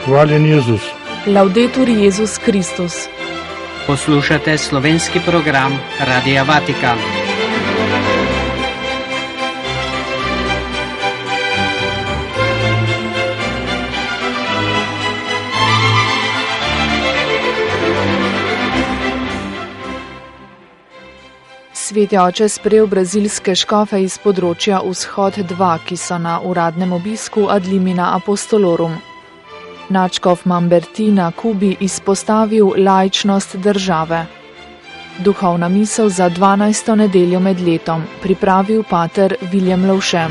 Hvaljen Jezus. Laudetur Jezus Kristus. Poslušate slovenski program Radia Vatikan. Sveti oče sprejel brazilske škofe iz področja Vzhod 2, ki so na uradnem obisku ad limina apostolorum. Nadškof Mamberti na Kubi izpostavil laičnost države. Duhovna misel za 12. nedeljo med letom pripravil pater Viljem Lovše.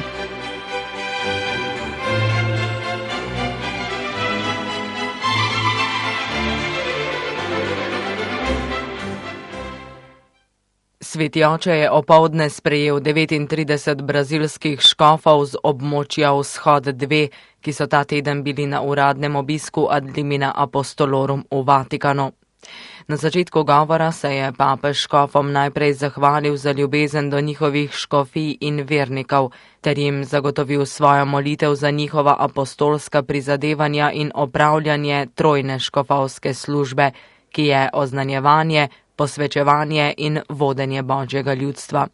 Sveti oče je opoldne sprejel 39 brazilskih škofov z območja Vzhod 2, ki so ta teden bili na uradnem obisku ad limina apostolorum v Vatikanu. Na začetku govora se je papež škofom najprej zahvalil za ljubezen do njihovih škofij in vernikov, ter jim zagotovil svojo molitev za njihova apostolska prizadevanja in opravljanje trojne škofovske službe, ki je oznanjevanje, posvečevanje in vodenje Božjega ljudstva.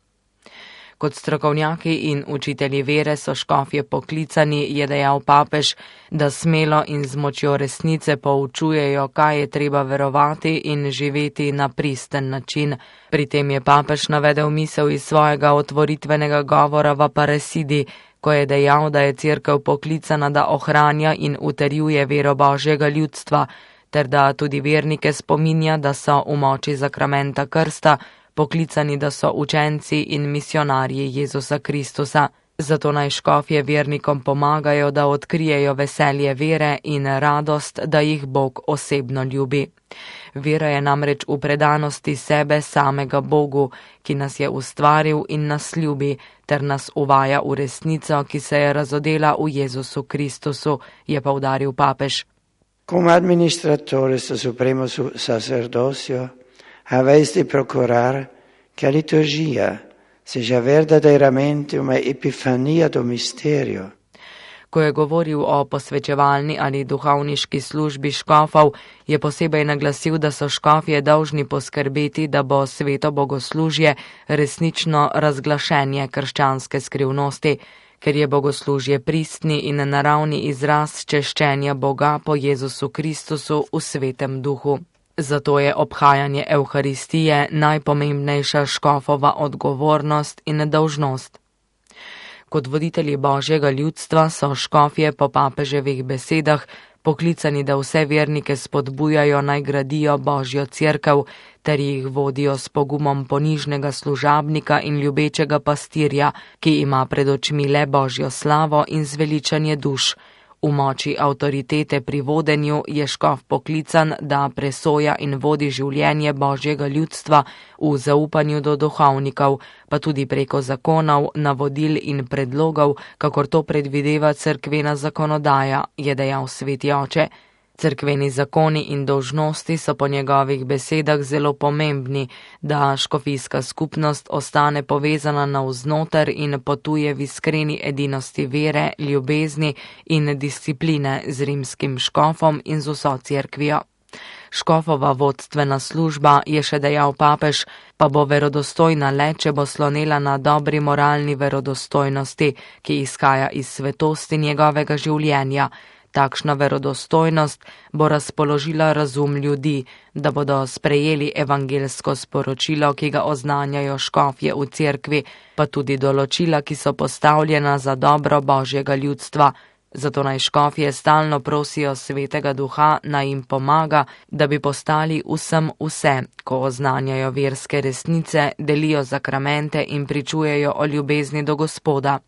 Kot strokovnjaki in učitelji vere so škofje poklicani, je dejal papež, da smelo in z močjo resnice poučujejo, kaj je treba verovati in živeti na pristen način. Pri tem je papež navedel misel iz svojega otvoritvenega govora v Aparecidi, ko je dejal, da je Cerkev poklicana, da ohranja in utrjuje vero Božjega ljudstva, ter da tudi vernike spominja, da so v moči zakramenta krsta poklicani, da so učenci in misionarji Jezusa Kristusa. Zato naj škofje vernikom pomagajo, da odkrijejo veselje vere in radost, da jih Bog osebno ljubi. Vera je namreč v predanosti sebe samega Bogu, ki nas je ustvaril in nas ljubi, ter nas uvaja v resnico, ki se je razodela v Jezusu Kristusu, je poudaril papež. Come administratores del Supremo Sacerdocio, habéis de procurar que a liturgia seja verdadeiramente uma epifania do mistério. Ko je govoril o posvečevalni ali duhovniški službi škofov, je posebej naglasil, da so škofje dolžni poskrbeti, da bo sveto bogoslužje resnično razglašenje krščanske skrivnosti, ker je bogoslužje pristni in naravni izraz češčenja Boga po Jezusu Kristusu v svetem duhu. Zato je obhajanje Evharistije najpomembnejša škofova odgovornost in dolžnost. Kot voditelji Božjega ljudstva so škofje po papeževih besedah poklicani, da vse vernike spodbujajo naj gradijo Božjo cerkev, ter jih vodijo s pogumom ponižnega služabnika in ljubečega pastirja, ki ima pred očmi le Božjo slavo in zveličanje duš. V moči avtoritete pri vodenju je škof poklican, da presoja in vodi življenje Božjega ljudstva v zaupanju do duhovnikov, pa tudi preko zakonov, navodil in predlogov, kakor to predvideva cerkvena zakonodaja, je dejal sveti oče. Cerkveni zakoni in dolžnosti so po njegovih besedah zelo pomembni, da škofijska skupnost ostane povezana navznoter in potuje v iskreni edinosti vere, ljubezni in discipline z rimskim škofom in z vso cerkvijo. Škofova vodstvena služba, je še dejal papež, pa bo verodostojna le, če bo slonela na dobri moralni verodostojnosti, ki izhaja iz svetosti njegovega življenja. Takšna verodostojnost bo razpoložila razum ljudi, da bodo sprejeli evangelsko sporočilo, ki ga oznanjajo škofje v cerkvi, pa tudi določila, ki so postavljena za dobro Božjega ljudstva. Zato naj škofje stalno prosijo Svetega Duha, naj jim pomaga, da bi postali vsem vse, ko oznanjajo verske resnice, delijo zakramente in pričujejo o ljubezni do Gospoda.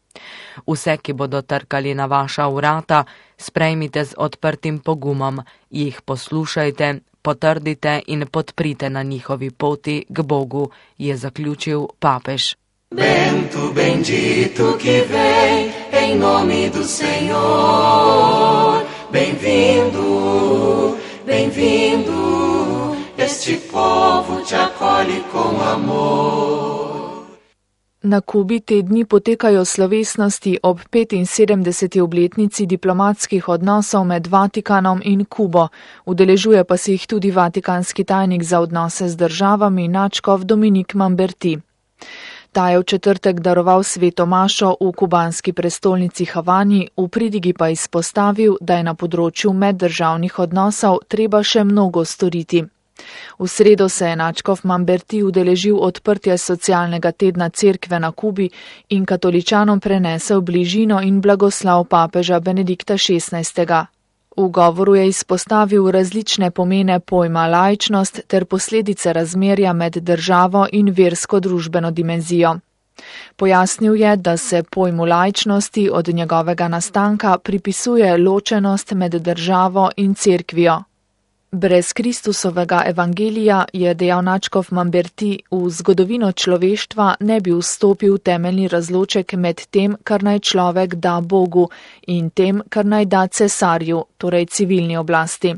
Vse, ki bodo trkali na vaša vrata, sprejmite z odprtim pogumom, jih poslušajte, potrdite in podprite na njihovi poti k Bogu, je zaključil papež. Bento bendito que vem em nome do Senhor, bem-vindo, bem-vindo, este povo te acolhe com amor. Na Kubi te dni potekajo slovesnosti ob 75. obletnici diplomatskih odnosov med Vatikanom in Kubo, udeležuje pa se jih tudi vatikanski tajnik za odnose z državami nadškof Dominik Mamberti. Ta je v četrtek daroval sveto mašo v kubanski prestolnici Havani, v pridigi pa izpostavil, da je na področju meddržavnih odnosov treba še mnogo storiti. V sredo se je nadškof Mamberti udeležil odprtja socialnega tedna cerkve na Kubi in katoličanom prenesel bližino in blagoslav papeža Benedikta XVI. V govoru je izpostavil različne pomene pojma laičnost ter posledice razmerja med državo in versko-družbeno dimenzijo. Pojasnil je, da se pojmu laičnosti od njegovega nastanka pripisuje ločenost med državo in cerkvijo. Brez Kristusovega evangelija, je dejal nadškof Mamberti, v zgodovino človeštva ne bi vstopil temeljni razloček med tem, kar naj človek da Bogu in tem, kar naj da cesarju, torej civilni oblasti.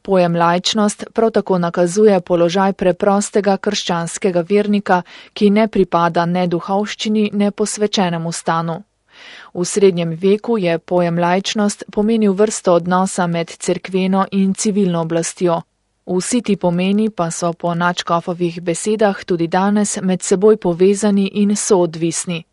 Pojem laičnost prav tako nakazuje položaj preprostega krščanskega vernika, ki ne pripada ne duhovščini, ne posvečenemu stanu. V srednjem veku je pojem laičnost pomenil vrsto odnosa med cerkveno in civilno oblastjo. Vsi ti pomeni pa so po nadškofovih besedah tudi danes med seboj povezani in soodvisni.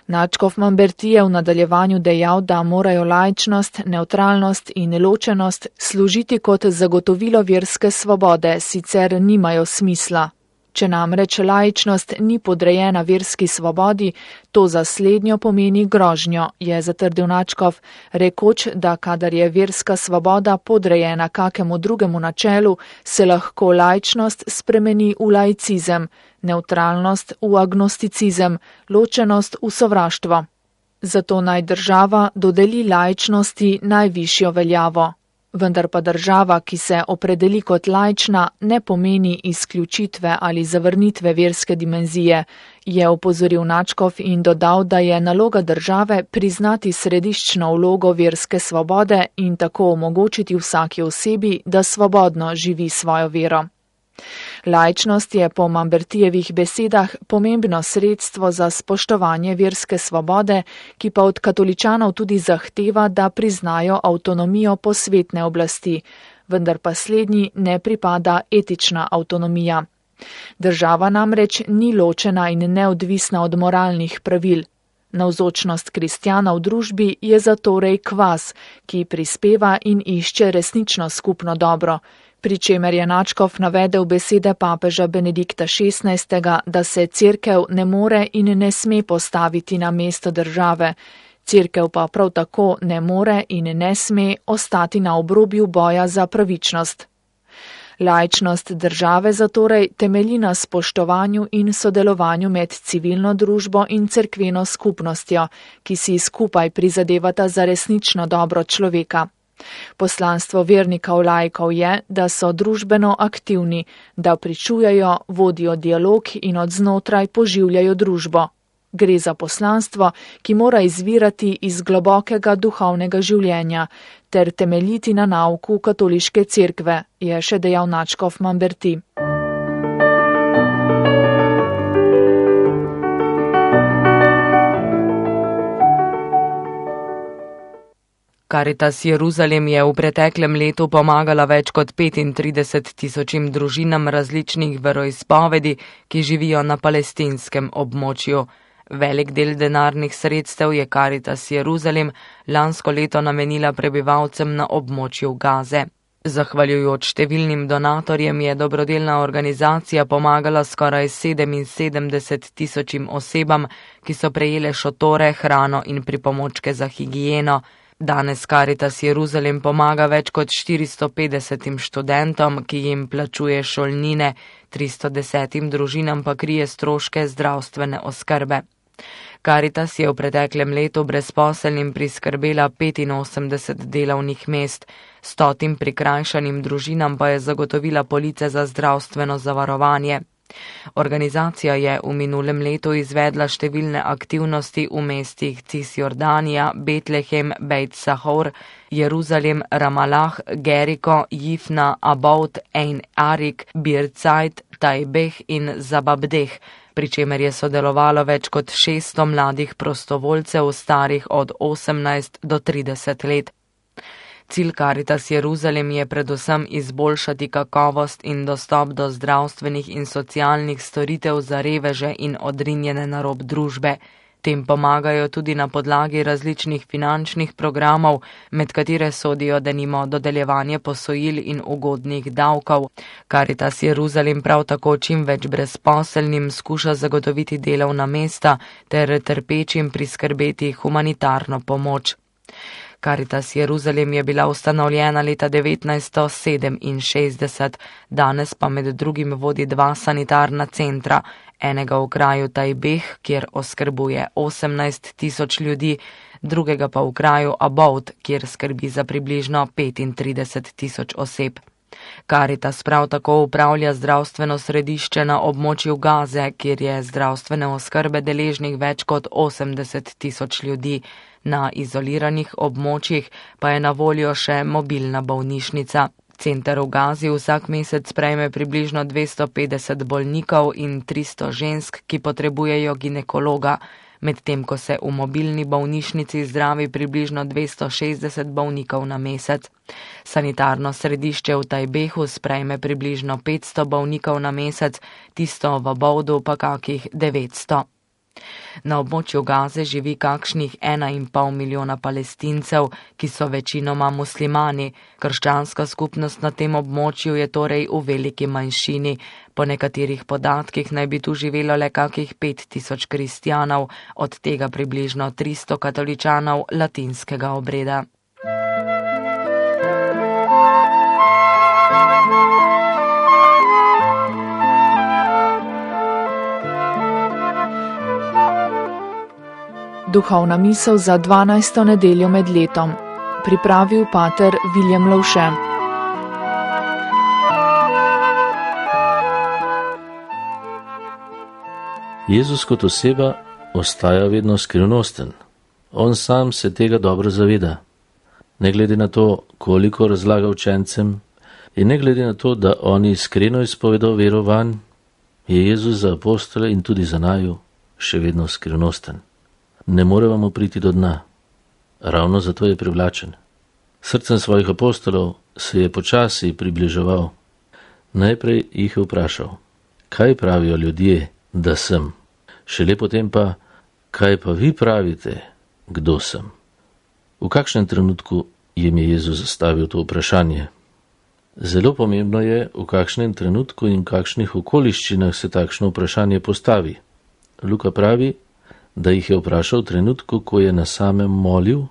Nadškof Mamberti je v nadaljevanju dejal, da morajo laičnost, nevtralnost in ločenost služiti kot zagotovilo verske svobode, sicer nimajo smisla. Če namreč laičnost ni podrejena verski svobodi, to za slednjo pomeni grožnjo, je zatrdil nadškof, rekoč, da kadar je verska svoboda podrejena kakemu drugemu načelu, se lahko laičnost spremeni v laicizem, nevtralnost v agnosticizem, ločenost v sovraštvo. Zato naj država dodeli laičnosti najvišjo veljavo. Vendar pa država, ki se opredeli kot laična, ne pomeni izključitve ali zavrnitve verske dimenzije, je opozoril nadškof in dodal, da je naloga države priznati središčno vlogo verske svobode in tako omogočiti vsaki osebi, da svobodno živi svojo vero. Laičnost je po Mambertijevih besedah pomembno sredstvo za spoštovanje verske svobode, ki pa od katoličanov tudi zahteva, da priznajo avtonomijo posvetne oblasti, vendar pa slednji ne pripada etična avtonomija. Država namreč ni ločena in neodvisna od moralnih pravil. Navzočnost kristjana v družbi je zatorej kvas, ki prispeva in išče resnično skupno dobro, pri čemer je nadškof navedel besede papeža Benedikta XVI., da se cerkev ne more in ne sme postaviti na mesto države. Cerkev pa prav tako ne more in ne sme ostati na obrobju boja za pravičnost. Laičnost države zatorej temelji na spoštovanju in sodelovanju med civilno družbo in cerkveno skupnostjo, ki si skupaj prizadevata za resnično dobro človeka. Poslanstvo vernikov laikov je, da so družbeno aktivni, da pričujejo, vodijo dialog in od znotraj poživljajo družbo. Gre za poslanstvo, ki mora izvirati iz globokega duhovnega življenja ter temeljiti na nauku katoliške cerkve, je še dejal nadškof Mamberti. Karitas Jeruzalem je v preteklem letu pomagala več kot 35.000 družinam različnih veroizpovedi, ki živijo na palestinskem območju. Velik del denarnih sredstev je Karitas Jeruzalem lansko leto namenila prebivalcem na območju Gaze. Zahvaljujoč številnim donatorjem je dobrodelna organizacija pomagala skoraj 77.000 osebam, ki so prejele šotore, hrano in pripomočke za higieno. Danes Karitas Jeruzalem pomaga več kot 450 študentom, ki jim plačuje šolnine, 310 družinam pa krije stroške zdravstvene oskrbe. Karitas je v preteklem letu brezposelnim priskrbela 85 delovnih mest, 100 prikrajšanim družinam pa je zagotovila police za zdravstveno zavarovanje. Organizacija je v minulem letu izvedla številne aktivnosti v mestih Cisjordanija, Betlehem, Beit Sahor, Jeruzalem, Ramalah, Geriko, Jifna, Aboud, Ein Arik, Birzeit, Tajbeh in Zababdeh, pri čemer je sodelovalo več kot 600 mladih prostovoljcev starih od 18 do 30 let. Cilj Caritas Jeruzalem je predvsem izboljšati kakovost in dostop do zdravstvenih in socialnih storitev za reveže in odrinjene na rob družbe. Tem pomagajo tudi na podlagi različnih finančnih programov, med katere sodijo denimo dodeljevanje posojil in ugodnih davkov. Caritas Jeruzalem prav tako čim več brezposelnim skuša zagotoviti delovna mesta ter trpečim priskrbeti humanitarno pomoč. Caritas Jeruzalem je bila ustanovljena leta 1967, danes pa med drugim vodi 2 sanitarna centra, enega v kraju Tajbeh, kjer oskrbuje 18 tisoč ljudi, drugega pa v kraju Aboud, kjer skrbi za približno 35 tisoč oseb. Caritas prav tako upravlja zdravstveno središče na območju Gaze, kjer je zdravstvene oskrbe deležnih več kot 80 tisoč ljudi. Na izoliranih območjih pa je na voljo še mobilna bolnišnica. Center v Gazi vsak mesec sprejme približno 250 bolnikov in 300 žensk, ki potrebujejo ginekologa, medtem ko se v mobilni bolnišnici zdravi približno 260 bolnikov na mesec. Sanitarno središče v Tajbehu sprejme približno 500 bolnikov na mesec, tisto v Aboudu pa kakih 900. Na območju Gaze živi kakšnih 1,5 milijona Palestincev, ki so večinoma muslimani. Krščanska skupnost na tem območju je torej v veliki manjšini. Po nekaterih podatkih naj bi tu živelo le kakih 5000 kristjanov, od tega približno 300 katoličanov latinskega obreda. Duhovna misel za 12. nedeljo med letom. Pripravil pater Viljem Lovše. Jezus kot oseba ostaja vedno skrivnosten. On sam se tega dobro zaveda. Ne glede na to, koliko razlaga učencem, in ne glede na to, da oni iskreno izpovedo vero vanj, je Jezus za apostole in tudi za naju še vedno skrivnosten. Ne moremo mu priti do dna. Ravno zato je privlačen. Srcem svojih apostolov se je počasi približeval. Najprej jih je vprašal, kaj pravijo ljudje, da sem. Šele potem pa, kaj pa vi pravite, kdo sem. V kakšnem trenutku jim je Jezus zastavil to vprašanje? Zelo pomembno je, v kakšnem trenutku in kakšnih okoliščinah se takšno vprašanje postavi. Luka pravi, da jih je vprašal v trenutku, ko je na samem molil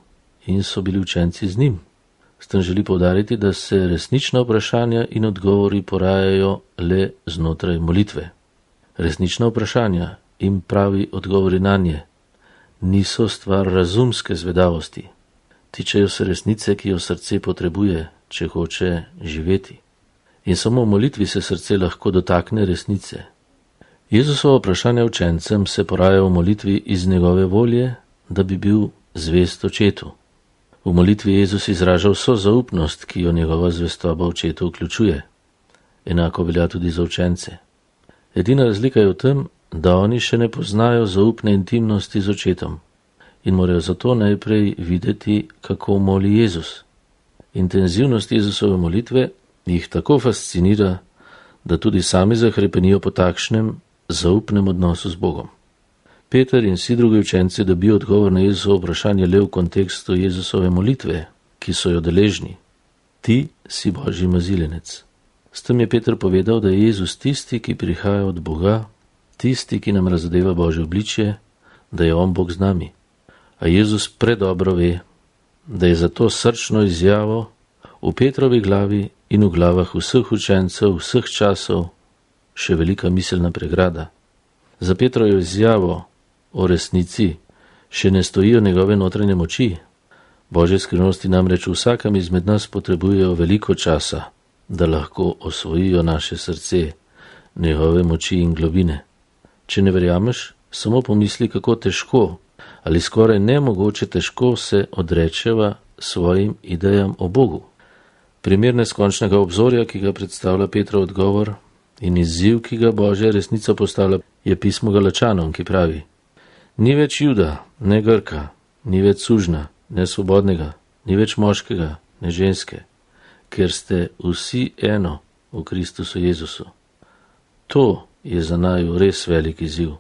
in so bili učenci z njim. S tem želi poudariti, da se resnična vprašanja in odgovori porajajo le znotraj molitve. Resnična vprašanja in pravi odgovori nanje niso stvar razumske zvedavosti. Tičejo se resnice, ki jo srce potrebuje, če hoče živeti. In samo v molitvi se srce lahko dotakne resnice. Jezusovo vprašanje učencem se poraja v molitvi iz njegove volje, da bi bil zvest očetu. V molitvi Jezus izraža vso zaupnost, ki jo njegova zvestoba očetu vključuje. Enako velja tudi za učence. Edina razlika je v tem, da oni še ne poznajo zaupne intimnosti z očetom in morajo zato najprej videti, kako moli Jezus. Intenzivnost Jezusove molitve jih tako fascinira, da tudi sami zahrepenijo po takšnem zaupnem odnosu z Bogom. Peter in vsi drugi učenci dobijo odgovor na Jezusovo vprašanje le v kontekstu Jezusove molitve, ki so jo deležni. Ti si Božji mazilenec. S tem je Peter povedal, da je Jezus tisti, ki prihaja od Boga, tisti, ki nam razodeva Božje obličje, da je on Bog z nami. A Jezus predobro ve, da je za to srčno izjavo v Petrovi glavi in v glavah vseh učencev vseh časov še velika miselna pregrada. Za Petrovo izjavo o resnici še ne stojijo njegove notranje moči. Božje skrivnosti namreč v vsakem izmed nas potrebujejo veliko časa, da lahko osvojijo naše srce, njegove moči in globine. Če ne verjameš, samo pomisli, kako težko ali skoraj nemogoče težko se odrečeva svojim idejam o Bogu. Primer neskončnega obzorja, ki ga predstavlja Petrov odgovor, In izziv, ki ga Božja resnica postavlja, je pismo Galačanom, ki pravi: Ni več Juda, ne Grka, ni več sužna, ne svobodnega, ni več moškega, ne ženske, ker ste vsi eno v Kristusu Jezusu. To je za naju res velik izziv.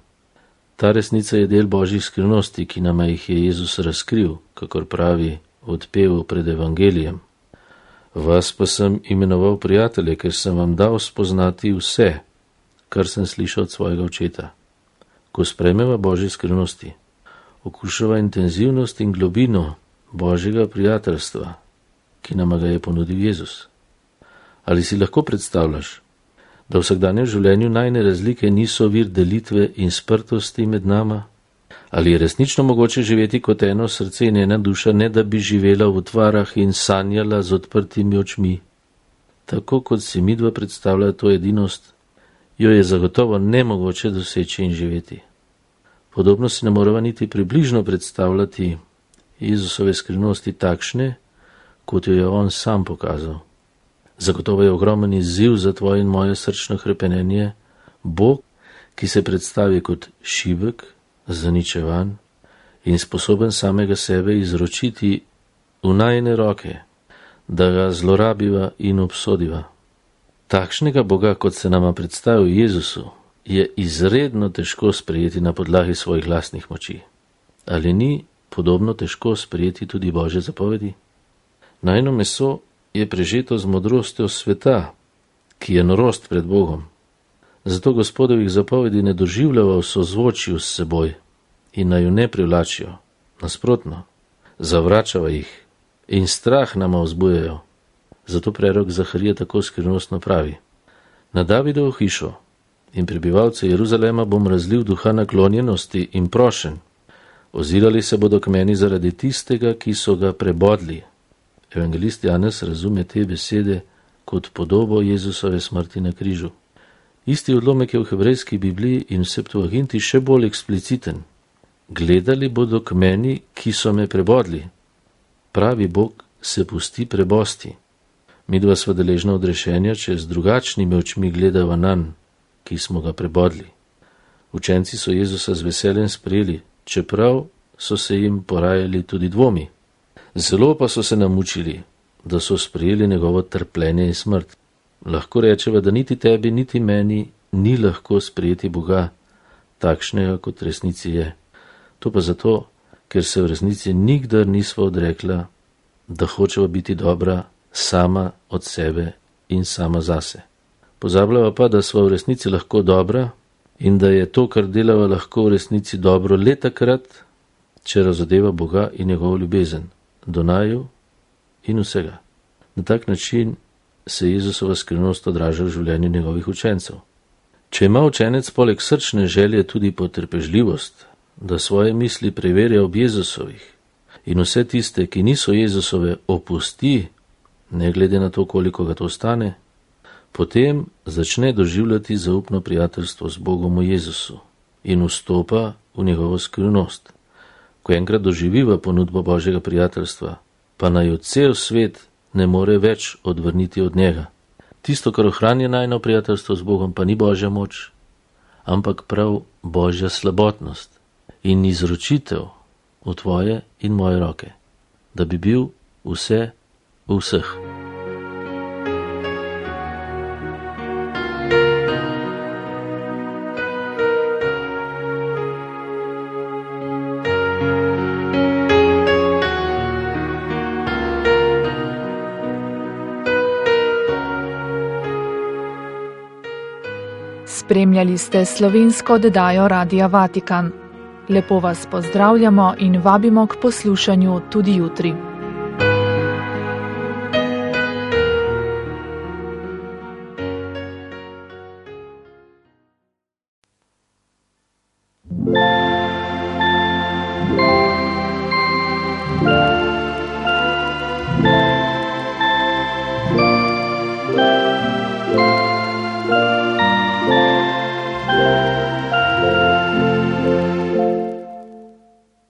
Ta resnica je del Božjih skrivnosti, ki nama jih je Jezus razkril, kakor pravi v odpevu pred evangelijem. Vas pa sem imenoval prijatelje, ker sem vam dal spoznati vse, kar sem slišal od svojega očeta. Ko sprejmeva Božje skrivnosti, okušava intenzivnost in globino Božjega prijateljstva, ki nama ga je ponudil Jezus. Ali si lahko predstavljaš, da v vsakdanjem življenju najne razlike niso vir delitve in sprtosti med nama? Ali je resnično mogoče živeti kot eno srce in ena duša, ne da bi živela v utvarah in sanjala z odprtimi očmi? Tako kot si midva predstavlja to edinost, jo je zagotovo nemogoče doseči in živeti. Podobno si ne moreva niti približno predstavljati Jezusove skrivnosti takšne, kot jo je on sam pokazal. Zagotovo je ogromen izziv za tvoje in moje srčno hrepenenje Bog, ki se predstavi kot šibek, zaničevan in sposoben samega sebe izročiti v najine roke, da ga zlorabiva in obsodiva. Takšnega Boga, kot se nama predstavil Jezusu, je izredno težko sprejeti na podlagi svojih lastnih moči. Ali ni podobno težko sprejeti tudi Božje zapovedi? Najino meso je prežeto z modrostjo sveta, ki je norost pred Bogom. Zato Gospodovih zapovedi ne doživljava v sozvočju s seboj in naju ne privlačijo. Nasprotno, zavračava jih in strah nama vzbujajo. Zato prerok Zaharija tako skrivnostno pravi: Na Davidovo hišo in prebivalce Jeruzalema bom razlil duha naklonjenosti in prošen. Ozirali se bodo k meni zaradi tistega, ki so ga prebodli. Evangelist Janez razume te besede kot podobo Jezusove smrti na križu. Isti odlomek je v hebrejski Bibliji in v Septuaginti še bolj ekspliciten. Gledali bodo k meni, ki so me prebodli. Pravi Bog se pusti prebosti. Midva sva deležna odrešenja, če z drugačnimi očmi gledava nanj, ki smo ga prebodli. Učenci so Jezusa z veseljem sprejeli, čeprav so se jim porajali tudi dvomi. Zelo pa so se namučili, da so sprejeli njegovo trpljenje in smrt. Lahko rečeva, da niti tebi, niti meni ni lahko sprejeti Boga, takšnega kot resnici je. To pa zato, ker se v resnici nikdar nisva odrekla, da hočeva biti dobra sama od sebe in sama zase. Pozabljava pa, da sva v resnici lahko dobra in da je to, kar delava, lahko v resnici dobro le takrat, če razodeva Boga in njegovo ljubezen do naju in vsega. Na tak način se Jezusova skrivnost odraža v življenju njegovih učencev. Če ima učenec poleg srčne želje tudi potrpežljivost, da svoje misli preverja ob Jezusovih in vse tiste, ki niso Jezusove, opusti, ne glede na to, koliko ga to stane, potem začne doživljati zaupno prijateljstvo z Bogom v Jezusu in vstopa v njegovo skrivnost. Ko enkrat doživiva ponudbo Božjega prijateljstva, pa naj cel svet ne more več odvrniti od njega. Tisto, kar ohranja najino prijateljstvo z Bogom, pa ni Božja moč, ampak prav Božja slabotnost in izročitev v tvoje in moje roke, da bi bil vse v vseh. Spremljali ste slovensko oddajo Radia Vatikan. Lepo vas pozdravljamo in vabimo k poslušanju tudi jutri.